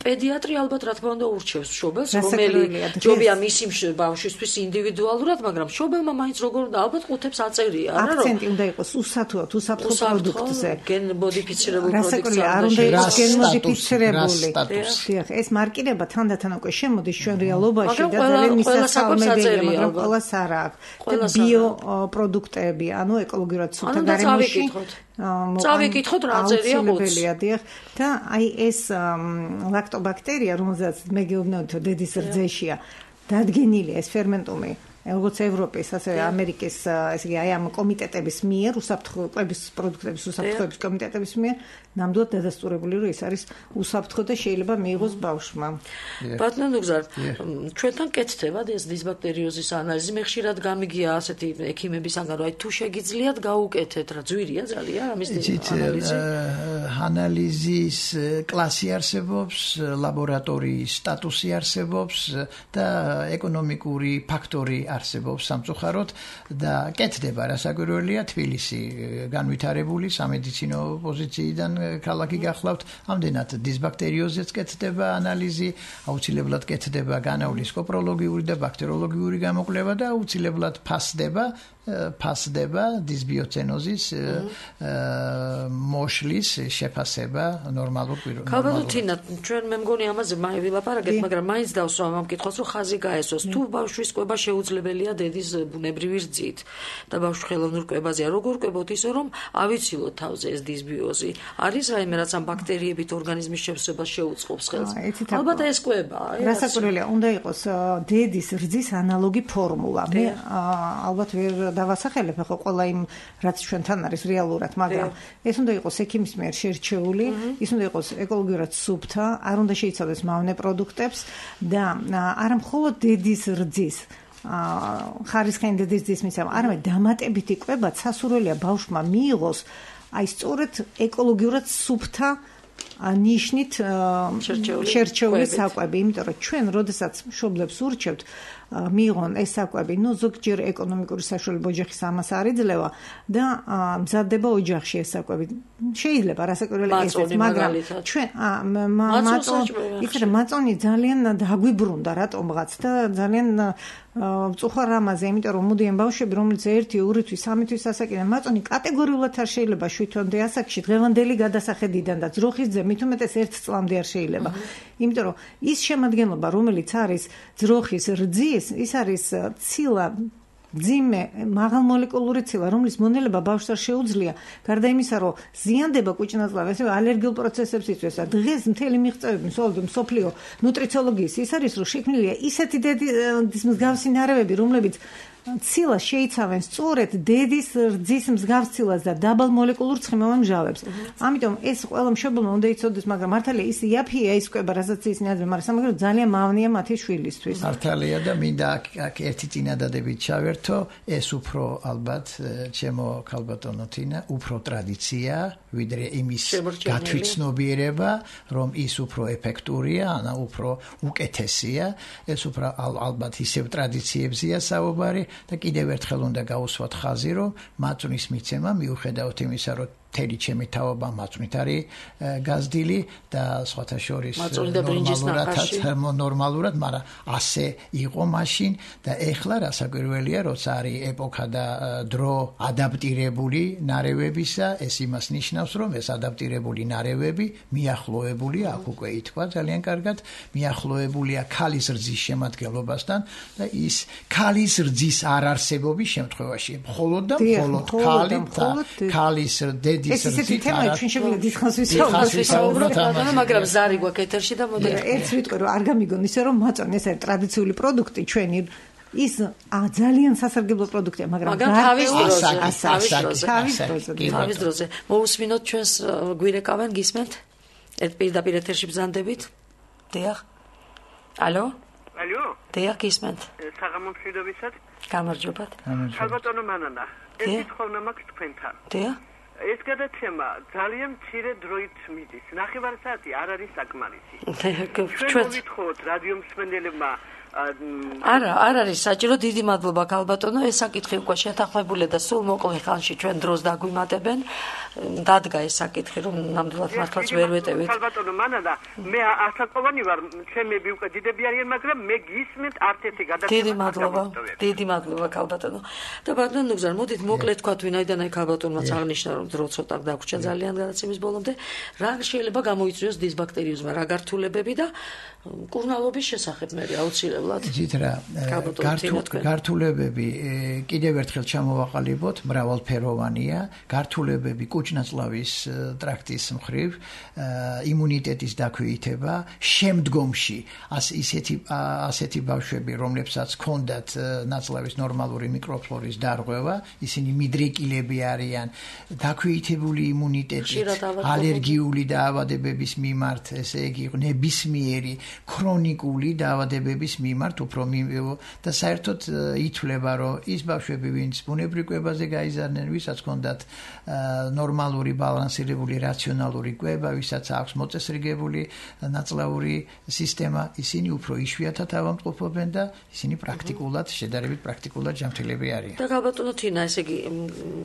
პედიატრი ალბათ რა თქმა უნდა ურჩევს მშობელს, რომელი ჯობია მისი ბავშვისთვის ინდივიდუალურად, მაგრამ მშობელმა მაინც როგორ უნდა ალბათ ყუთებს აწერია, არა რომ აქცენტი უნდა იყოს უსათუოდ, უსაფრთხო პროდუქტზე. გენ მოდიფიცირებული პროდუქტზე. არ უნდა იყოს გენ მოდიფიცირებული. ეს მარკირება თანდათან უკვე შემოდის ჩვენ რეალობაში და ძალიან მისასალმებელია, მაგრამ ყველას არ აქვს. ბიო პროდუქტები, ანუ ეკოლოგიურად სუფთა გარემოში. წავიკითხოთ რა წერია ხუთს. და აი ეს ლაქტობაქტერია, რომელზეც მე გეუბნებოდი, რომ დედის რძეშია, დადგენილია ეს ფერმენტუმი როგორც ევროპის, ასევე ამერიკის, ესე იგი, აი ამ კომიტეტების მიერ, უსაფრთხოების პროდუქტების უსაფრთხოების კომიტეტების მიერ, ნამდვილად დადასტურებული, რომ ეს არის უსაფრთხო და შეიძლება მიიღოს ბავშვმა. ბატონო ნუგზარ, ჩვენთან კეთდება ეს დისბაქტერიოზის ანალიზი, მე ხშირად გამიგია ასეთი ექიმებისგან, რომ აი თუ შეგიძლიათ გაუკეთეთ, რა ძვირია ძალიან ამის ანალიზი. ანალიზის კლასი არსებობს, ლაბორატორიის სტატუსი არსებობს და ეკონომიკური ფაქტორი არსებობს სამწუხაროდ და კეთდება რასაკვირველია თბილისი განვითარებული სამედიცინო პოზიციიდან ქალაქი გახლავთ ამდენად დისბაქტერიოზეც კეთდება ანალიზი აუცილებლად კეთდება განავლის კოპროლოგიური და ბაქტერიოლოგიური გამოკვლევა და აუცილებლად ფასდება დისბიოცენოზის მოშლის შეფასება ნორმალურ პიროვნებაში. ქალბატონ თინა, ჩვენ მე მგონი ამაზე ვილაპარაკეთ, მაგრამ მაინც დავსვამ ამ კითხვას, რომ ხაზი გაესვას. თუ ბავშვის კვება შეუძლებელია დედის ბუნებრივი რძით და ბავშვი ხელოვნურ კვებაზეა, როგორ კვებოთ ისე, რომ ავიცილოთ თავზე ეს დისბიოზი? არის რაიმე რაც ამ ბაქტერიებით ორგანიზმის შევსებას შეუწყობს ხელს? ალბათ ეს კვება. რასაკვირველია, უნდა იყოს დედის რძის ანალოგი ფორმულა. მე ალბათ ვერ დავასახელებ ახლა ყველა იმ რაც ჩვენთან არის რეალურად, მაგრამ ეს უნდა იყოს ექიმის მიერ შერჩეული, ის უნდა იყოს ეკოლოგიურად სუფთა, არ უნდა შეიცავდეს მავნე პროდუქტებს და არა მხოლოდ დედის რძის ხარისხიანი დედის რძის მისამა, არამედ დამატებითი კვება სასურველია ბავშვმა მიიღოს აი სწორედ ეკოლოგიურად სუფთა ნიშნით შერჩეული საკვები, იმიტომ რომ ჩვენ როდესაც მშობლებს ურჩევთ მიიღონ ეს საკვები, ნუ ზოგჯერ ეკონომიკური საშუალება ოჯახის ამას არ იძლევა და მზადდება ოჯახში ეს საკვები. შეიძლება რასაკვირველი ესეც, მაგრამ ჩვენ მაწონი ძალიან დაგვიბრუნდა რატომღაც და ძალიან მწუხარ რამაზე, იმიტომ რომ მოდიან ბავშვები, რომელიც 1, 2 თვის, 3 თვის ასაკიდან მაწონი კატეგორიულად არ შეიძლება 7 თვამდე ასაკში დღევანდელი გადასახედიდან და ძროხის ძე მით უმეტეს 1 წლამდე არ შეიძლება. იმიტომ რომ ის შემადგენლობა, რომელიც არის ძროხის რძის, ის არის ცილა ძიმე მაღალმოლეკულური ცილა, რომლის მონელება ბავშვს არ შეუძლია, გარდა იმისა, რომ ზიანდება კუჭნაწლავი, ასევე ალერგიულ პროცესებს იწვევს. დღეს მთელი მიღწევები მსოფლიო ნუტრიციოლოგიის ის არის, რომ შექმნილია ისეთი დედის მსგავსი ნარევები, რომლებიც ცილა შეიცავენ სწორედ დედის რძის მსგავს ცილას და დაბალ მოლეკულურ ცხიმოვან მჟავებს. ამიტომ ეს ყველა მშობელმა უნდა იცოდეს, მაგრამ მართალია ის იაფია ის კვება, რასაც ისინი აძლევენ, მაგრამ სამაგერო ძალიან მავნია მათი შვილისთვის. მართალია და მინდა აქ ერთი წინადადებით ჩავერთო, ეს უფრო ალბათ ჩემო ქალბატონო თინა, უფრო ტრადიცია, ვიდრე იმის გათვითცნობიერება, რომ ის უფრო ეფექტურია, ანა უფრო უკეთესია, ეს უფრო ალბათ ისევ ტრადიციებზია საუბარი. და კიდევ ერთხელ უნდა გაუსვათ ხაზი, რომ მაწვნის მიცემა მიუხედავად იმისა, რომ მთელი ჩემი თავობა მაწვნით არის გაზრდილი და სხვათა შორის ნორმალურად, მაგრამ ასე იყო მაშინ და ეხლა რასაკვირველია, როცა არის ეპოქა და დრო ადაპტირებული ნარევებისა, ეს იმას ნიშნავს, რომ ეს ადაპტირებული ნარევები მიახლოებულია, აქ უკვე ითქვა ძალიან კარგად, მიახლოებულია ქალის რძის შემადგენლობასთან და ის ქალის რძის არარსებობის შემთხვევაში, მხოლოდ და მხოლოდ ქალის ეს ისეთი თემაა, ჩვენ შეგვიძლია დიდხანს ვისაუბროთ, მაგრამ ზარი გვაქვს ეთერში და მოდით. ერთ ვიტყვი, რომ არ გამიგონ ისე, რომ მაწვანე ეს არის ტრადიციული პროდუქტი ჩვენი ის ძალიან სასარგებლო პროდუქტია, მაგრამ თავის დროზე. მოусმინოთ ჩვენს გვირეკავენ, გისმენთ? ერთ პირდაპირ ეთერში ბრძანდებით? დიახ. ალო? ალო? დიახ, გისმენთ? საღამომშვიდობისად. გამარჯობათ. ქალბატონო მანანა, ეს თხოვნა მაქვს თქვენთან. დიახ. ეს გადაცემა ძალიან მცირე დროით მიდის. 9 საათი არ არის საკმარისი. ჩვენ ვითხოვთ რადიო მსმენელებმა არა არის საჭირო. დიდი მადლობა ქალბატონო, ეს საკითხი უკვე შეთანხმებულია და სულ მოკლე ხანში ჩვენ დროს დაგვიმატებენ. დადგა ეს საკითხი, რომ ნამდვილად მართლაც ვერ ვეტევით. ქალბატონო მანანა, მე ასაკოვანი ვარ, ჩემები უკვე დიდები არიან, მაგრამ მე გისმენთ არც ერთი გადაცემა. დიდი მადლობა ქალბატონო. და ბატონო ნუგზარ, მოდით მოკლედ თქვათ, ვინაიდან აი ქალბატონმაც აღნიშნა, რომ დრო ცოტა დაგვრჩა ძალიან გადაცემის ბოლომდე, რა შეიძლება გამოიწვიოს დისბაქტერიოზმა, რა გართულებები და კურნალობის შესახებ მე აუცილებლად. იცით რა, გართულებები კიდევ ერთხელ ჩამოვაყალიბოთ, მრავალფეროვანია, გართულებები კუჭნაწლავის ტრაქტის მხრივ, იმუნიტეტის დაქვეითება, შემდგომში ასეთი ბავშვები, რომლებსაც ჰქონდათ ნაწლავის ნორმალური მიკროფლორის დარღვევა, ისინი მიდრეკილები არიან, დაქვეითებული იმუნიტეტით, ალერგიული დაავადებების მიმართ, ესე იგი ნებისმიერი ქრონიკული დაავადებების მიმართ უფრო და საერთოდ ითვლება, რომ ის ბავშვები, ვინც ბუნებრივ კვებაზე გაიზარდნენ, ვისაც ჰქონდათ ნორმალური, ბალანსირებული, რაციონალური კვება, ვისაც აქვს მოწესრიგებული ნაწლავური სისტემა, ისინი უფრო იშვიათად ავადმყოფობენ და ისინი პრაქტიკულად, შედარებით პრაქტიკულად ჯანმრთელები არიან. და ქალბატონო თინა, ესე იგი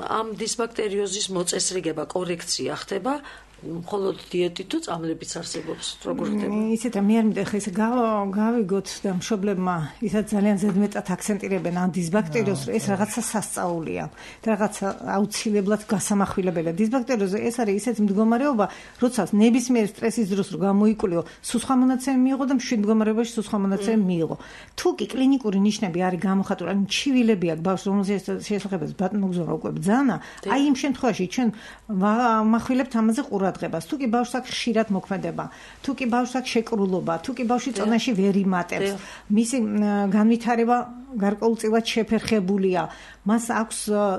ამ დისბაქტერიოზის მოწესრიგება, კორექცია ხდება მხოლოდ დიეტით თუ წამლებიც არსებობს, როგორ ხდება? ისეთ მე არ მინდა ხა ესე გავიგოთ და მშობლებმა ისაც ძალიან ზედმეტად აქცენტირებენ ამ დისბაქტერიოზს, რომ ეს რაღაცა სასწაულია და რაღაცა აუცილებლად გასამახვილებელია. დისბაქტერიოზი ეს არის ისეთი მდგომარეობა, როდესაც ნებისმიერ სტრესის დროს რო გამოიკულიო, სუსხვა მონაცემი მიიღო და მშვიდ მდგომარეობაში სუსხვა მონაცემი მიიღო. თუ კი კლინიკური ნიშნები არის გამოხატული, ან ჩივილები აქვს ბავშვს, რომელზეც შესაძლებელი ბატონო გზო უკვე ბძანა, აი იმ შემთხვევაში ჩვენ მახვილებთ ამაზე ყურადღებას. თუ კი ბავშვს აქვს ხშირად მოქმედება, თუ კი ბავშვს აქვს შეკრულობა, თუ კი ბავშვი წონაში ვერ იმატებს, მისი განვითარება გარკვეულწილად შეფერხებულია, მას აქვს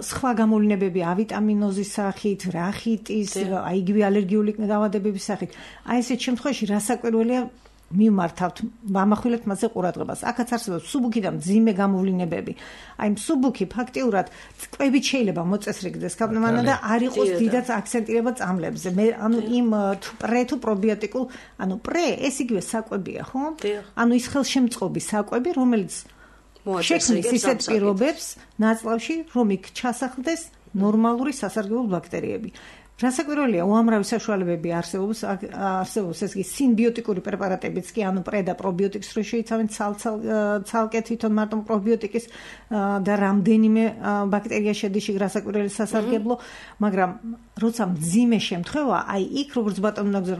სხვა გამოვლინებები ავიტამინოზის სახით, რახიტის, აი იგივე ალერგიული დაავადებების სახით. აი ესეთ შემთხვევაში რასაკვირველია მიმართავთ, ვამახვილებთ მასზე ყურადღებას. აქაც არსებობს მსუბუქი და მძიმე გამოვლინებები. აი მსუბუქი ფაქტიურად კვებით შეიძლება მოწესრიგდეს ქალბატონო და არ იყოს დიდად აქცენტირება წამლებზე. მე ანუ იმ პრე თუ პრობიოტიკულ, ანუ პრე ეს იგივე საკვებია, ხო? ანუ ის ხელშემწყობი საკვები, რომელიც შექმნის ისეთ პირობებს ნაწლავში, რომ იქ ჩასახლდეს ნორმალური სასარგებლო ბაქტერიები. რასაკვირველია, უამრავი საშუალებები არსებობს ეს კი სინბიოტიკური პრეპარატებიც კი, ანუ პრე და პრობიოტიკს რო შეიცავენ ცალკე თვითონ მარტო პრობიოტიკის და რამდენიმე ბაქტერია შედის იქ რასაკვირველი სასარგებლო, მაგრამ როცა მძიმე შემთხვევა, აი იქ როგორც ბატონო ნაგზა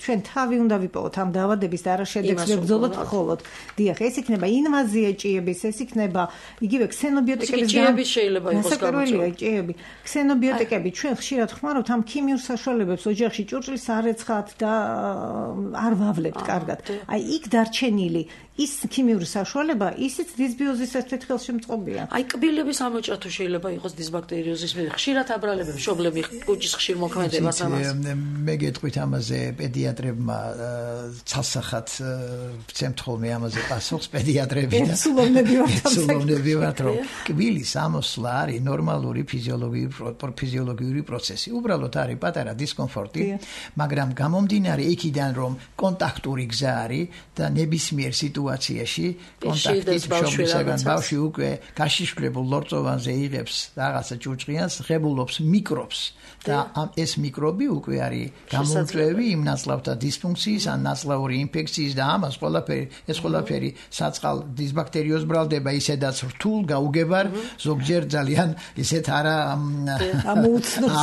ჩვენ თავი უნდა ვიპოვოთ ამ დაავადების და არა შედეგს ვებრძოლოთ მხოლოდ. დიახ, ეს იქნება ინვაზია ჭიების, ეს იქნება იგივე ქსენობიოტიკების ჭიები შეიძლება იყოს გამოწვეული. ჭიები. ქსენობიოტიკები ჩვენ ხშირად ხმარობთ ამ ქიმიურ საშუალებებს ოჯახში ჭურჭლის არ ეცხათ და არ ვავლებთ კარგად. აი იქ დარჩენილი ის ქიმიური საშუალება, ისიც დისბიოზის ერთ-ერთი ხელშემწყობია. აი კბილების ამოჭრა შეიძლება იყოს დისბაქტერიოზის ხშირად აბრალებს მშობლები კუჭის ხშირ მოქმედებას ამას. მე გეტყვით ამაზე პედიატრებმა ცალსახად ვცემთ ხოლმე ამაზე პასუხს პედიატრები და სულოვნები ვართ რომ კბილის ამოსვლა არის ნორმალური ფიზიოლოგიური პროცესი. უბრალოდ არის პატარა დისკომფორტი, მაგრამ გამომდინარე იქიდან რომ კონტაქტური გზა არის და ნებისმიერ სიტუაციაში კონტაქტით მშობლისაგან ბავშვი უკვე გაშიშვლებულ ლორწოვანზე იღებს რაღაცა ჭურჭყიანს, ღებულობს მიკრობს და ეს მიკრობი უკვე არის გამომწვევი იმ ნაწლავთა დისფუნქციის ან ნაწლავური ინფექციის და ამას ყველაფერი საწყალ დისბაქტერიოზ ბრალდება ისედაც რთულ გაუგებარ ზოგჯერ ძალიან ისეთ არა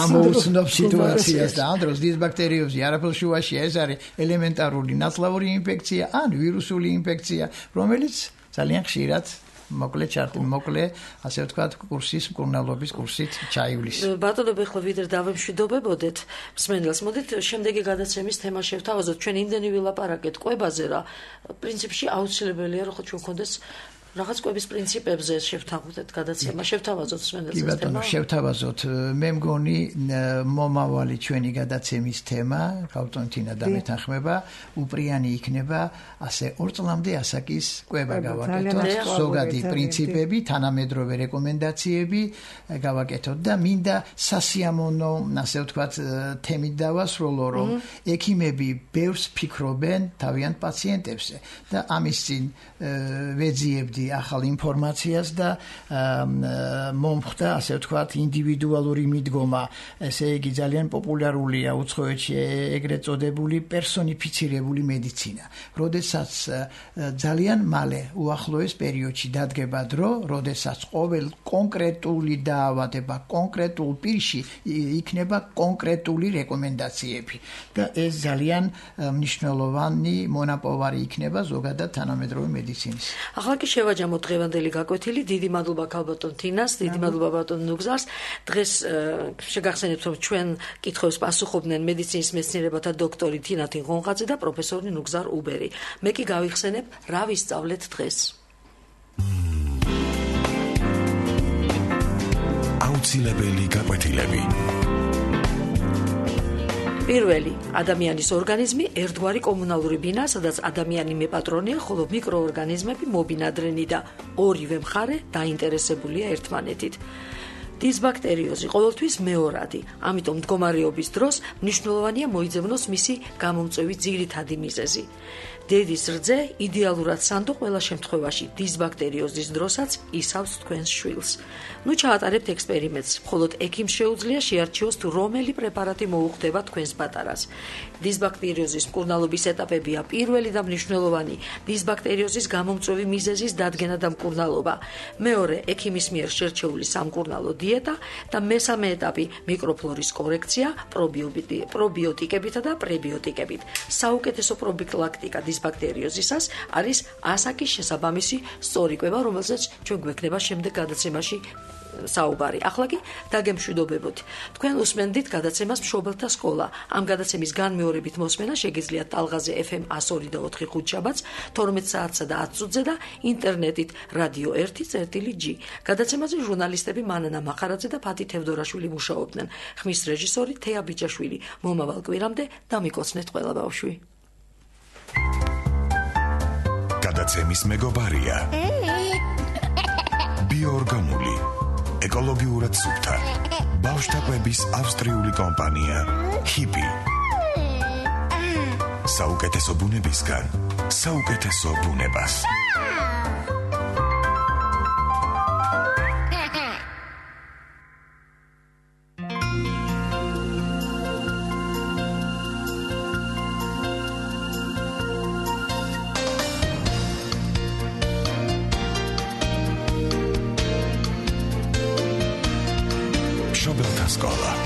ამოუცნობ სიტუაციას და ამ დროს დისბაქტერიოზი არაფერს შუაში ეს არის ელემენტარული ნაწლავური ინფექცია ან ვირუსული ინფექცია რომელიც ძალიან ხშირად მოკლე, ასე ვთქვათ, კურსის მკურნალობის კურსით ჩაივლის. ბატონო, ახლა ვიდრე დავემშვიდობებოდეთ მსმენელს, მოდით შემდეგი გადაცემის თემა შევთავაზოთ. ჩვენ იმდენი ვილაპარაკეთ კვებაზე რა, პრინციპში აუცილებელია რომ ჩვენ გქონდეს რაღაც კვების პრინციპებზე შევთავაზოთ გადაცემა, შევთავაზოთ მსმენელს ეს თემა. შევთავაზოთ. მე მგონი მომავალი ჩვენი გადაცემის თემა, გავტონთინა და მეთანხმება, უპრიანი იქნება ასე 2 წლამდე ასაკის კვება გავაკეთოთ, ზოგადი პრინციპები, თანამედროვე რეკომენდაციები გავაკეთოთ და მინდა სასიამოვნო, ასე ვთქვათ, თემით დავასრულო, რომ ექიმები ბევრს ფიქრობენ თავიანთ პაციენტებზე და ამის წინ ვეძიებდი ახალ ინფორმაციას და მომხდა, ასე ვთქვათ, ინდივიდუალური მიდგომა. ესე იგი ძალიან პოპულარულია უცხოეთში ეგრეთ წოდებული პერსონიფიცირებული მედიცინა. როდესაც ძალიან მალე უახლოეს პერიოდში დადგება დრო, როდესაც ყოველ კონკრეტული დაავადება კონკრეტულ პირში იქნება კონკრეტული რეკომენდაციები და ეს ძალიან მნიშვნელოვანი მონაპოვარი იქნება ზოგადად თანამედროვე მედიცინის. ახლა კი შევაჯამოთ დღევანდელი გაკვეთილი. დიდი მადლობა ქალბატონ თინას, დიდი მადლობა ბატონ ნუგზარს. დღეს შეგახსენებთ რომ ჩვენ კითხვებს პასუხობდნენ მედიცინის მეცნიერებათა დოქტორი თინა თინღონღაძე და პროფესორი ნუგზარ უბერი. მე კი გავიხსენებ რა ვისწავლეთ დღეს. აუცილებელი გაკვეთილები. პირველი, ადამიანის ორგანიზმი ერთგვარი კომუნალური ბინა, სადაც ადამიანი მეპატრონია, ხოლო მიკროორგანიზმები მობინადრენი და ორივე მხარე დაინტერესებულია ერთმანეთით. დისბაქტერიოზი ყოველთვის მეორადი, ამიტომ მდგომარეობის დროს მნიშვნელოვანია მოიძებნოს მისი გამომწვევი ძირითადი მიზეზი. დედის რძე იდეალურად სანდო ყველა შემთხვევაში დისბაქტერიოზის დროსაც ისავს თქვენს შვილს. ნუ ჩაატარებთ ექსპერიმენტს, მხოლოდ ექიმს შეუძლია შეარჩიოს თუ რომელი პრეპარატი მოუხდება თქვენს პატარას. დისბაქტერიოზის მკურნალობის ეტაპებია პირველი და მნიშვნელოვანი დისბაქტერიოზის გამომწვევი მიზეზის დადგენა და მკურნალობა. მეორე, ექიმის მიერ შერჩეული სამკურნალო დიეტა და მესამე ეტაპი მიკროფლორის კორექცია პრობიოტიკებითა და პრებიოტიკებით. საუკეთესო პროფილაქტიკა დისბაქტერიოზისას არის ასაკის შესაბამისი სწორი კვება, რომელზეც ჩვენ გვექნება შემდეგ გადაცემაში საუბარი. ახლა კი დაგემშვიდობებოთ. თქვენ უსმენდით გადაცემას მშობელთა სკოლა. ამ გადაცემის განმეორებით მოსმენა შეგიძლიათ ტალღაზე FM 102.4 ხუთშაბათს 12 საათსა და 10 წუთზე და ინტერნეტით Radio 1.G. გადაცემაზე ჟურნალისტები მანანა მახარაძე და ფათი თევდორაშვილი მუშაობდნენ. ხმის რეჟისორი თეა ბიჯაშვილი. მომავალ კვირამდე დამიკოცნეთ ყველა ბავშვი. გადაცემის მეგობარია ბიოორგანული ეკოლოგიურად სუფთა ბავშვთა კვების ავსტრიული კომპანია HIPI. საუკეთესო ბუნებისგან საუკეთესო ბუნებას. Scola.